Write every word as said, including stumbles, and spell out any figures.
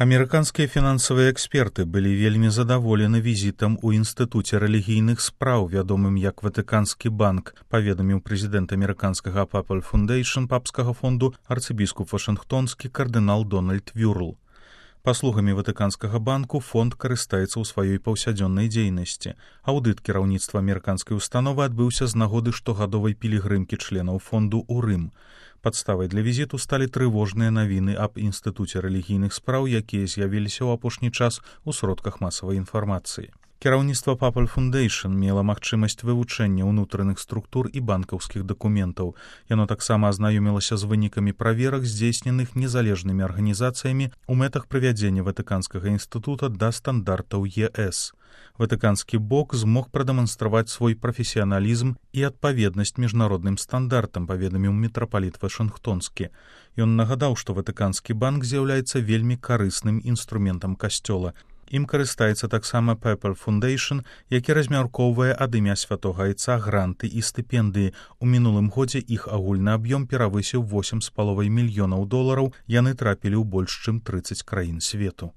Амерыканскія фінансавыя эксперты былі вельмі задаволены візітам у інстытуце рэлігійных спраў, вядомым як Ватыканскі банк, паведаміў прэзідэнт амерыканскага Papal Foundation папскага фонду арцыбіскуп вашынгтонскі кардынал Дональд Вюрл. Паслугамі Ватыканскага банку фонд карыстаецца ў сваёй паўсядзённай дзейнасці. Аўдыт кіраўніцтва амерыканскай установы адбыўся з нагоды штогадовай пілігрымкі членаў фонду ў Рым. Падставай для візіту сталі трывожныя навіны аб інстытуце рэлігійных спраў, якія з'явіліся ў апошні час у сродках масавай інфармацыі. Кіраўніцтва Papal Foundation мела магчымасць вывучэння ўнутраных структур і банкаўскіх дакументаў. Яно таксама азнаёмілася з вынікамі праверак, здзейсненых незалежнымі арганізацыямі ў мэтах прывядзення Ватыканскага інстытута да стандартаў е эс. Ватыканскі бок змог прадэманстраваць свой прафесіяналізм і адпаведнасць міжнародным стандартам, паведаміў мітрапаліт Вашынгтонскі. Ён нагадаў, што Ватыканскі банк з'яўляецца вельмі карысным інструментам касцёла. Ім карыстаецца таксама Papal Foundation, які размяркоўвае ад імя святога айца гранты і стыпендыі. У мінулым годзе іх агульны аб'ём перавысіў восем з паловай мільёнаў долараў, яны трапілі ў больш чым трыццаць краін свету.